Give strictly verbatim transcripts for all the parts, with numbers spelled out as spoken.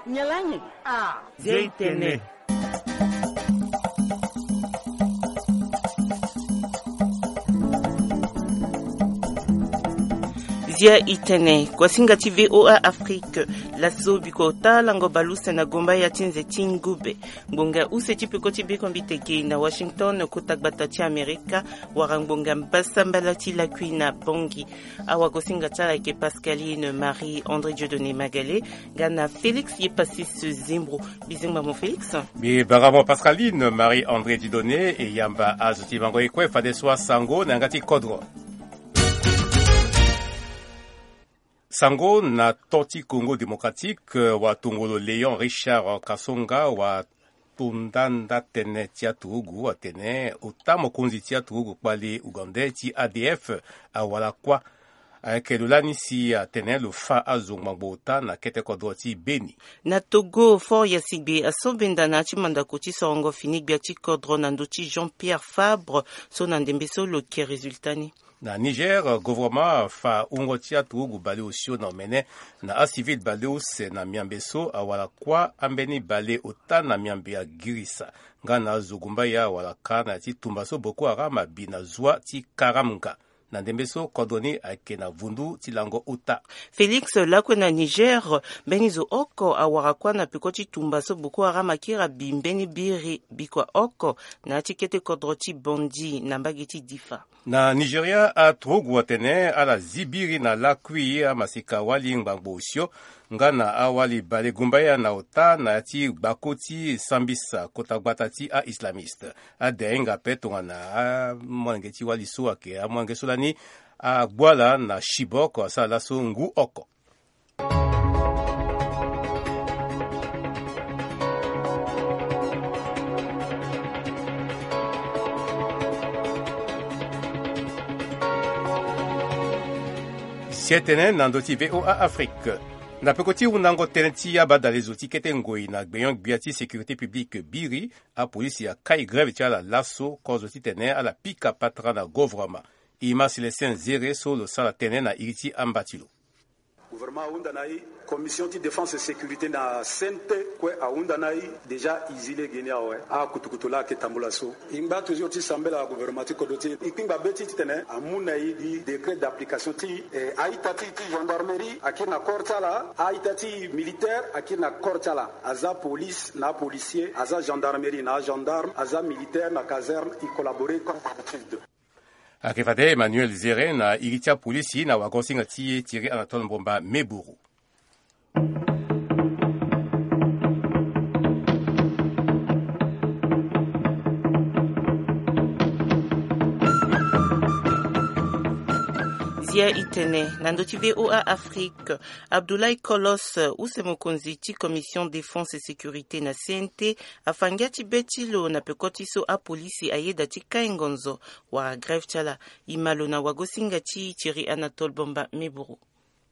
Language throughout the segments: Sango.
Nyalangi. Ah. Zia itene. Zia itene. Kuasinga ti VOA Afrique. Laso biko ota lango baluse na gomba ya ti nze ti ngube. Ngbonga use ti peko ti biko mbi tege na Washington, kota gbata ti Amerika, wara ngbonga mbasambala ti lakui na Bangui. Awagosinga ti ala ayeke Pascaline Marie André Dieudonné Magale, nga na Félix Yepasis Zimbro. Bizingba mo Félix. Mbi bara mo Pascaline Marie André Dieudonné, e yamba azo ti mango e kue fadeso asango na yanga ti kodro. Sango na to ti Congo Démocratique, watongolo Léon Richard Kasonga wa tondanda tënë ti aturugu atene ota mokonzi ti aturugu kpali ougandais ti A D F awara kuâ. Ayeke lo lani si atene lo fâ azo ngbangbo ota na kete kodro ti Beni. Na Togo, Faure Gnassingbe aso benda na ya ti mandako ti sorongo fini gbia ti kodro na ndö ti Jean Pierre Fabre, so na ndembe so lo yeke résultat ni. Na Niger, gouvernement afa wungo ti aturugu baleosio na omene na acivil baleuse na miambe so awara kuâ ambeni baleota na miambe agirisa. Nga na azo gumbaya awara ka na ya ti tumba so Boko Haram abi na zwa ti Karamga. Na ndembe so kodro ni ayeke na vundu ti lango ota. Félix, lakue na Niger, mbeni zo oko awara kuâ na peko ti tumba so Boko Haram akiri abi mbeni biri bikua oko na ya ti kete kodro ti Bandi na mbage ti Difa. Na Nigeria, aturugu atene ala zi biri na lakui amaseka wali ngbangbo osio nga na awali balegumbaya na ota na ya ti gbako ti sambisa kota gbata ti a-islamiste. Ade ahinga ape tongana amolenge ti wali so ayeke amolenge so lani agbu ala na Chibok asara laso ngu oko. Si e tene na ndö ti VOA Afrique. Na peko ti hundango tënë ti abadalezo ti kete ngoi na gbenyo-gbia ti sécurité publique biri, apolisi akai grève ti ala laso kozo titene ala pika patara na govrema. E ma Célestin Zéré so lo sara tënë na iri ti amba ti lo. Gouvernement ahunda na e, commission ti défense et sécurité na C N T kue ahunda na e. Déjà e zi lege ni awe, akutukutu laa ayeke tambula so. E ngba toujours ti sambela gouvernement ti kodro ti e, e kpingba be ti e titene amu na e gi décret d'application ti, eh, a-ita ti e ti gendarmerie akiri na corps ti ala, a-ita ti e militaire akiri na corps ti ala. Aza police na apolicier, aza gendarmerie na agendarme, aza militaire na caserne, e collaborer comme d'habitude. Ayeke fade Emmanuel Zéré na iri ti apolisi na wagosinga ti e Thierry Anatole Mbomba Meburu. Zia itene na ndö ti VOA Afrique. Abdoulaye Kolos, use mokonzi ti Commission Défense et Sécurité na C N T, afa ngia ti be ti lo na peko ti so apolisi ayeda ti kai ngonzo wala grève ti ala. E ma lo na wagosinga ti Thierry Anatole Mbomba Meburu.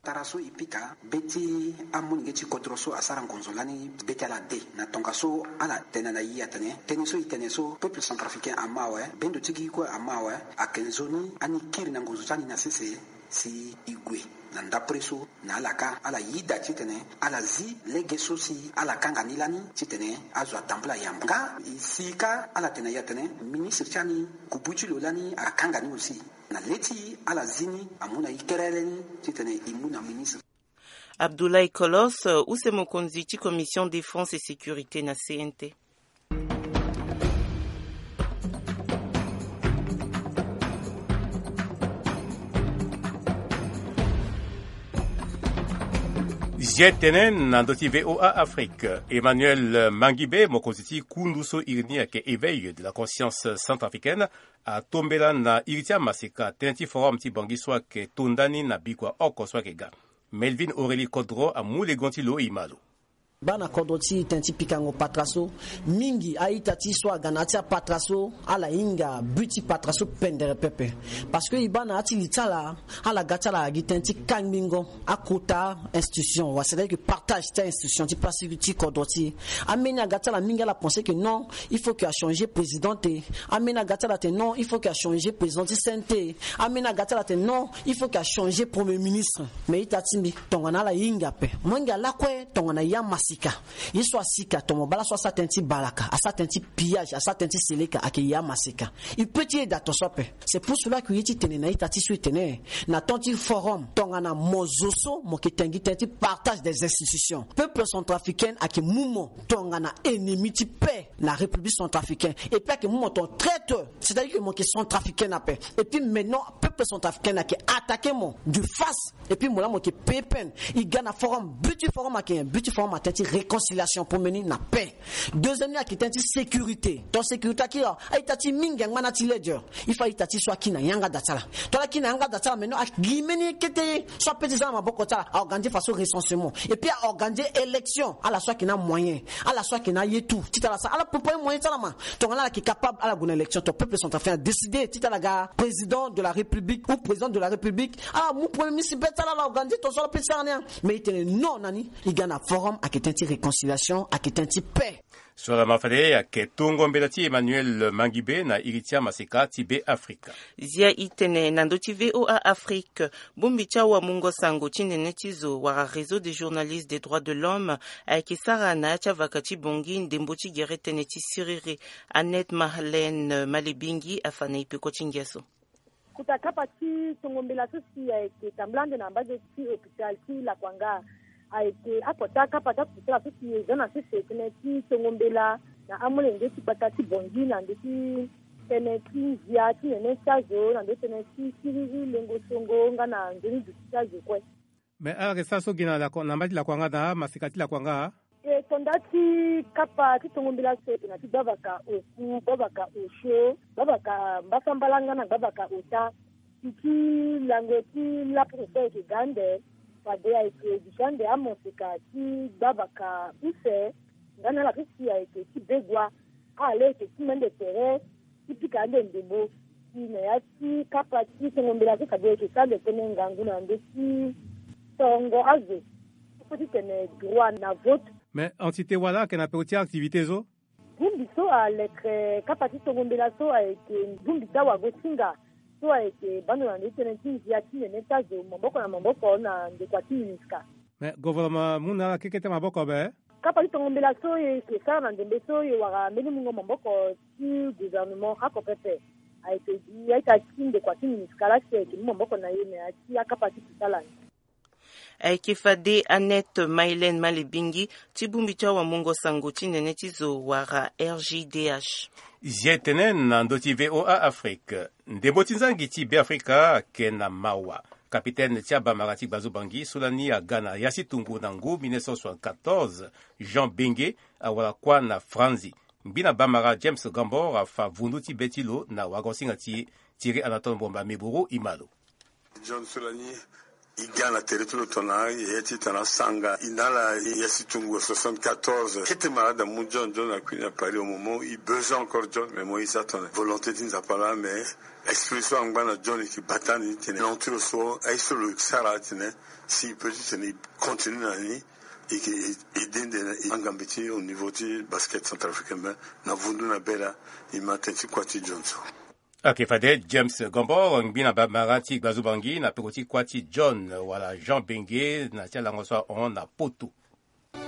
Tara so e pika be ti amolenge ti kodro so asara ngonzo lani be ti ala de na tongaso ala tene na e atene tënë so e tene so peuple centrafricain ama awe, bendo ti gi kue ama awe, ayeke nzoni ani kiri na ngonzo ti ani na sese si e gue na ndapre so na ala ka ala yida titene ala zi lege so si ala kanga ni lani titene azo atambula yambo. Nga e si ka ala tene na e atene ministre ti ani kubu ti lo lani akanga ni aussi. Na le ti ala zi ni amu na e kerere ni titene e mu na ministre. Abdoulaye Kolos, use mokonzi ti Commission Défense et Sécurité na C N T. Zia tene na ndö ti VOA Afrique, Emmanuel Mangibe, mokonzi ti kundu so iri ni ayeke Éveil de la Conscience Centrafricaine, atombela na iri ti amaseka tënë ti forum ti Bangui so ayeke to ndani na bikua oko so ayeke ga. Melvin Aurélie Kodro amu legon ti lo e ma lo. Baa na kodro ti e tënë ti pikango patara so mingi, a-ita ti e so aga na ya ti apatara so ala hinga but ti patara so pendere pepe. Parce que e baa na ya ti li ti ala, ala ga ti ala gi tënë ti kangbingo akota institution wa, c'est-à-dire que partage ti a-institution ti place ti kodro ti e. Ambeni aga ti ala mingi ala pense que non, il faut que achanger président te. Ambeni aga ti ala atene non, il faut que achanger président ti C N T. Ambeni aga ti ala atene non, il faut que achanger premier ministre. Mais ita ti mbi tongana ala hinga ape, molenge ala kue tongana ya masa. asika. Ye so asika, tomo bala so asara tënë ti balaka, asara tënë ti pillage, asara tënë ti seleka, ayeke ye amaseka. E peut ti yeda ton so ape. C'est pour cela que ye ti tene na ita ti so e tene na temps ti forum, tongana mo zo so mo yeke tengi tënë ti partage des institutions, peuple centrafricain ayeke mu mo tongana ennemi ti paix na République centrafricaine. Et puis ayeke mu mo ton traître, c'est-à-dire que mo yeke centrafricain ape. Et puis maintenant peuple centrafricain ayeke attaquer mo de face. Et puis mo laa mo yeke payer peine. E ga na forum, but ti forum ayeke nyen? But ti forum atene ti réconciliation pour mbeni na paix. Deuxième ni ayeke tënë ti sécurité. Ton sécurité akiri, a-ita ti mingi angba na ti ledger. Il faut a-ita ti so aki na yanga da ti ala. Tongana aki na yanga da ti ala, maintenant aki gi mbeni kete so ape ti za na maboko ti ala, a organiser façon recensement. Et puis a organiser élection. Ala so ayeke na moyen, ala so ayeke na ye tout, titene ala sara, ala préparer moyen ti ala ma. Tongana ala yeke capable, ala gue na élection, ton peuple centrafricain adécider titene ala ga président de la République ou président de la République. Ala mu premier ministre be ti ala, ala organiser ton so ala pe ti sara ni. Mais e tene non na ni. E ga na forum ayeke tënë ti réconciliation, ayeke tënë ti paix. So ala ma fade ayeke tongo mbela ti Emmanuel Mangibe na iri ti amaseka ti Be Afrika. Zia e tene na ndö ti V O A Afrique. Bongbi ti awamungo sango ti nene ti zo wala Réseau des journalistes des droits de l'homme ayeke sara na ya ti avaka ti Bangui ndembo ti gere tënë ti siriri. Annette Marlène Malebingi afa na e peko ti ngia so. Kota kapa ti tongo mbela so si ayeke tambula ande na mbage ti hôpital ti Lakuanga. Ayeke akota kapa ti akota so si e za na sese tënë ti tongo mbela na amolenge ti gbata ti Bangui na ndö ti tënë ti nzia ti nene ti azo, na ndö ti tënë ti siriri, lengo songo nga na nzoni duti ti azo kue. Me ala yeke sara so gi na Laku-, na mba ti Lakuanga na amaseka ti Lakuanga? E tonda ti kapa ti tongo mbela so e yeke na ti gbavaka oku, gbavaka osio, gbavaka mbasambala nga na gbavaka ota. Ti ti lango ti lapo so e yeke ga ande, fade ayeke duti ande amaseka ti gbavaka use nga na ala so si ayeke ti Begua. Ala laa e yeke ti mende tere ti pika ande ndembo. Si na ya ti kapa ti tongo mbela so fade e yeke sara ande tënë ngangu na ndö ti tongo azo so ti tene droit na vote. Me entité wala ayeke na peko ti activité so? Bongbi so alekere kapa ti tongo mbela so ayeke bongbi ti awagosinga so ayeke bando na ndö ti tënë ti nzia ti nene ti azo maboko na maboko na ndokua ti MINUSCA. Me gouvernement amu na ala kekete maboko be? Kapa ti tongo mbela so e yeke sara na ndembe so e wara mbeni mungo maboko ti gouvernement oko pepe. Ayeke gi a-ita ti ndokua ti MINUSCA laa si ayeke mu maboko na e na ya ti akapa ti kusala ni. Ayeke fade Annette Marlène Malebingi ti bongbi ti awamungo sango ti nene ti zo wala R G D H. Zia e tene na ndö ti V O A Afrique. Ndembo ti nzangi ti Beafrika ayeke na mawa. Kapitene ti abamara ti Gbazo Bangi so lani aga na ya si tungu na ngu mille neuf cent soixante-quatorze, Jean Benge, awara kuâ na Franzi. Ngbina bamara James Gambor afa vundu ti be ti lo na wagosinga ti e. Thierry Anatole Mbomba Meboro e ma lo. John so lani e ga na tere ti lo tongana yaya ti tana sanga e na ala, ya si tungu soixante-quatorze. Kete mara da mu John, John akui na Paris au moment e besoin encore John, mais mo e za tongana volonté ti Nzapa laa, mais esprit so angba na John e yeke bata ni titene langue ti lo so aye so lo sara titene si e peut titene e continue na ni. E yeke aide nde na angambe ti au niveau ti basket centrafricain, mais na vundu na be laa e ma tënë ti kuâ ti John so. Ayeke fade James Gombo, ngbina bamara ti Gbazo Bangi na peko ti kuâ ti John wala Jean Benge na ti alango so ahon na Poto.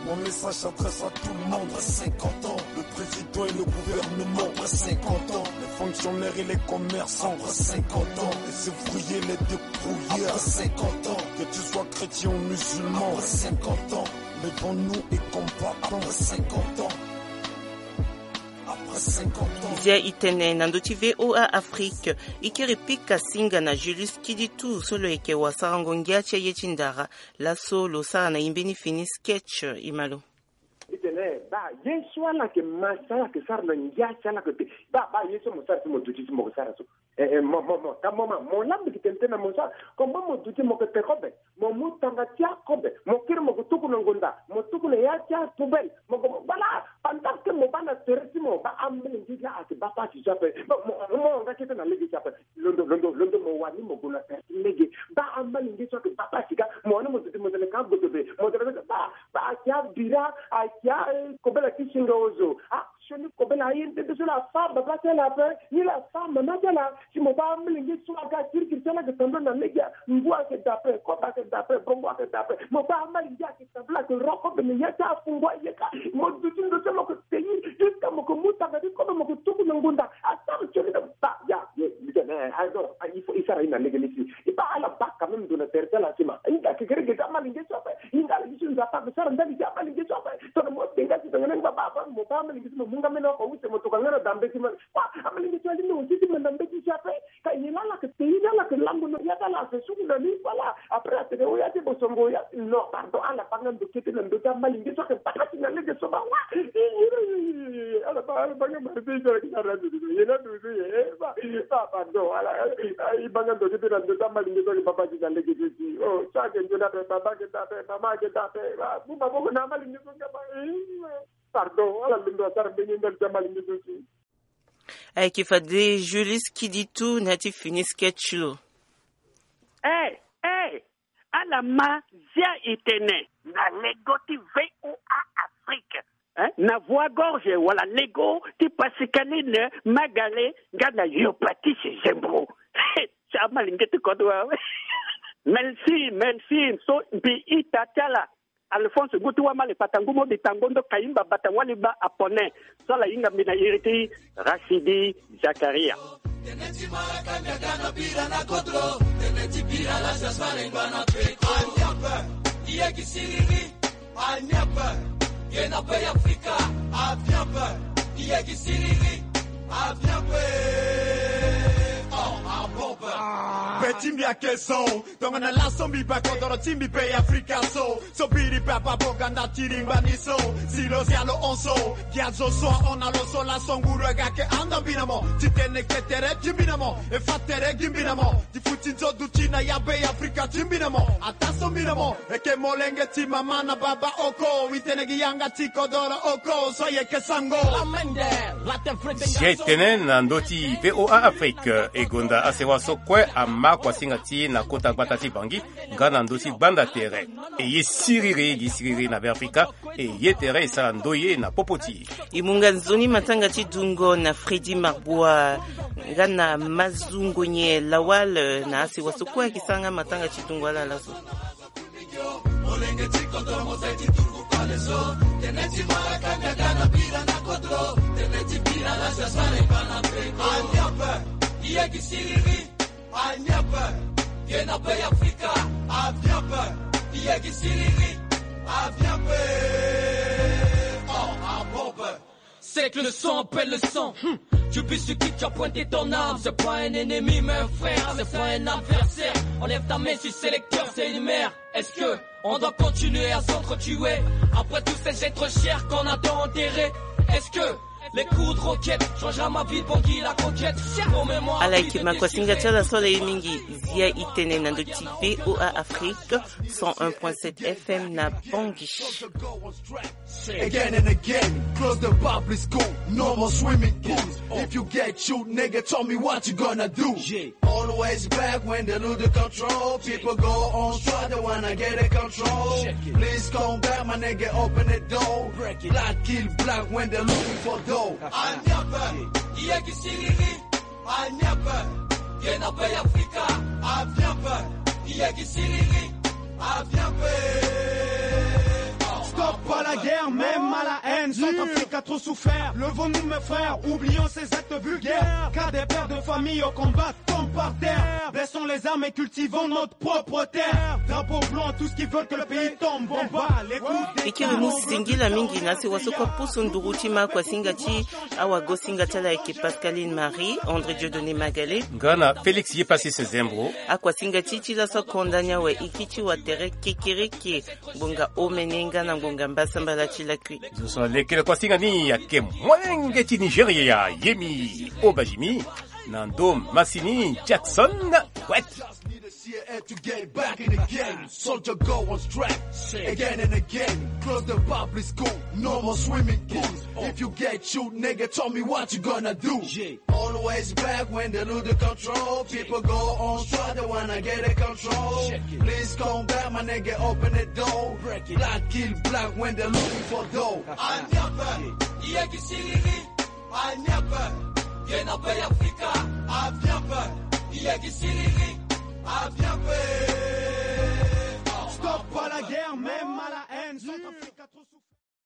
Mon message s'adresse à tout le monde. Après cinquante ans, le président et le gouvernement. Après cinquante ans, les fonctionnaires et les commerçants. Après cinquante ans, les ouvriers, les débrouillards. Après cinquante ans, que tu sois chrétien ou musulman. Après cinquante ans, levons-nous et combattons. Après cinquante ans. Zia e tene na ndö ti V O A Afrique. E kiri pika singa na Julius Kiditu so lo yeke wasarango ngia ti aye ti ndara. Laso lo sara na e mbeni fini sketch, e ma lo. E tene baa ye so ala yeke ma si ala yeke sara na ngia ti ala yeke te. Baa baa ye so mo sara so mo duti so mo yeke sara so. Eh, eh, mo, mo, mo, ka mo ma, mo lambi ki tene tene na mo so, comme mo duti mo ke pe kobe, mo mu tanga ti akobe, mo kiri mo ke tuku na ngonda, mo tuku na ya ti apoubelle, mo ke, voilà, pendant que mo baa na tere ti mo, baa ambeni ngi la ake baa pasi so ape, mo, mo, mo nga kete na lege ti ape, londo, londo, londo mo wani mo gue na tere ti lege, baa ambeni ngi so ake baa pasi ka, mo wani mo duti mo tene ka godo be, mo tene baa, baa ake abira, ake a, eh, kobela ti singa ozo, ah, Sioni kobela aye nde nde so la afa baba ti ala ape, ni la afa mama ti ala. Si mo baa amolenge so aga kirikiri ti ala ayeke tambula na lege, ngu ayeke daa ape, kobe ayeke daa ape, bongo ayeke daa ape. Mo baa amolenge ayeke tambula ayeke ro kobe na ya ti afungo aye ka. Mo duti ndo so mo yeke tei jusqu'à mo yeke mu tanga ti kobe mo yeke tuku na ngonda. Asara sioni na ba ya. Il faut e sara ye na lege ni si e baa ala baa quand même ndo na tere ti ala si ma. Hinga kekereke ti amolenge so ape. Hinga ala gi so Nzapa ayeke sara ndali ti amolenge so ape. Tongana mo denga si tongana ngbaba afa mo baa amolenge so mo mu nga mene oko use mo toka nga na dambe ti ma. Wa amolenge so ali na osi ti ma dambe ti si ape. Ka ye laa ala yeke tei ni ala yeke lango na ya ti ala afe suku na ni voilà. Après atene oya ti bosongo oya non pardon ala baa nga ndo kete na ndö ti amolenge so ayeke baa nga si na lege so ba wa. Ala baa ala baa nga mari ti ala ki na radio ye na ndo so ye ba ba pardon ala e baa nga ndo kete na ndö ti amolenge so ayeke baa ba si na lege so si o so ayeke nzoni ape baba ayeke daa ape mama ayeke daa ape. Mu maboko na amolenge so nga ba. Pardon ala londo asara mbeni ndali ti amolenge so si. Ayeke fade Julius Kiditu na ya ti fini sketch lo. Eh, eh, ala ma zia e tene na lego ti V O A Afrique, eh, na Voix Gorge wala lego ti Pascaline Magale nga na Yopatis Zembro. Ti amolenge ti kodro awe. Merci, merci. So mbi ita ti ala Alphonse ngu ti wamale pata ngu mo bi tango ndo kayimba bata wali ba apone. So ala hinga mbi na iri ti Rachidi Zakaria. Tene ti malaka nyaga na bira na kodro. Tene ti bira la sasare ngba na peko. Aniape iye ki siriri. Aniape ye na pe Afrika. Aviape iye ki siriri. Aviape. Oh abope. Be ti mbi ake son. Tongana laso mbi baa kodoro ti mbi be Afrika so. So biri baba boganda ti ringba ni so. Si lo zia lo hon so. Gi azo so ahon na lo so laso nguru aga yeke handa mbi na mo. Ti tene ke tere ti mbi na mo. E fa tere gi mbi na mo. Ti futi nzo duti na ya be Afrika ti mbi na mo. Ataa so mbi na mo. E ke molenge ti mama na baba oko. Wi tene gi yanga ti kodoro oko. So ye ke sango. Lamende. Zia e tene na ndö ti V O A Afrique. E gonda asewa so kue ama kuasinga ti e na kota gbata ti Bangui nga na ndö ti gbanda tere. E ye siriri gi siriri na Beafrika. E ye tere e sara ndoye na popo ti e. E mu nga nzoni matanga ti dungo na Freddy Marbois nga na Mazungonye Lawal na asewa so kue ayeke sara nga matanga ti dungo ala laso. Molenge ti kodro mo sai ti dungu pale so. Tene ti malaka nyaga na bira na kodro. Tene ti bira la sasare bana pe. Aniape iye gi siriri. Aniape ye na pe Afrika. Aviape iye gi siriri. Aviape. Oh abope. C'est que le sang appelle le sang. Hmm. Tu bisuki, tu as pointé ton arme. C'est pas un ennemi, mais un frère. C'est pas un adversaire. Enlève ta main, je suis sélecteur, c'est une mère. Est-ce que on doit continuer à s'entretuer après tous ces êtres chers qu'on a tant enterrés? Est-ce que les coups de roquette changera ma vie, Bangui la conquête? Promets-moi. Ala yeke ma kuasinga ti ala so ala ye mingi. Zia e tene na ndö ti V O A Afrique cent un point sept F M na Bangui. Again and again, close the public school, no more swimming pools. If you get shoot, nigga, tell me what you gonna do. Yeah. Always back when they lose the control. People go on strike, they wanna get a control. Check it. Please come back, my nigga, open the door. Break it. Black kill black when they're looking for dough. Aniape iye gi siriri. Aniape ye na pe Afrika. Aviape iye gi siriri. Aviape. Stop à la guerre, même à la haine. Centrafrique a trop souffert. Levons-nous, mes frères, oublions ces actes vulgaires. Car des pères de famille au combat tombent par terre. Baissons les armes et cultivons notre propre terre. Drapeau blanc, tous qui veulent que le pays tombe en bas. Les coups d'État. E kiri mu singila mingi na sewa so kue apusu nduru ti ma kuasinga ti awagosinga ti ala ayeke Pascaline Marie, André Dieudonné Magalé nga na Félix Yepasis Zembro. Akuasinga ti e ti laso akonda ni awe e kiri ti watere kekereke ngbonga omene nga na ngbonga mbasambala ti lakui. Zo so na lekere kuasinga ni ayeke molenge ti Nigeria Yemi Obajimi na ndo masini Jackson Wet. Need a C I A to get back in the game. Soldier go on strike again and again. Close the public school, no more swimming pools. If you get shoot, nigga, tell me what you gonna do. Yeah. Always back when they lose the control. People go on strike, they wanna get a control. Check it. Please come back, my nigga, open the door. Break it. Black kill black when they're looking for dough. Aniape, Yeki siriri, a niape. Ye na pe Afrika, a biape. Yeki siriri, a biape. Stop à la guerre, même à la haine. Centrafrique a trop souffert.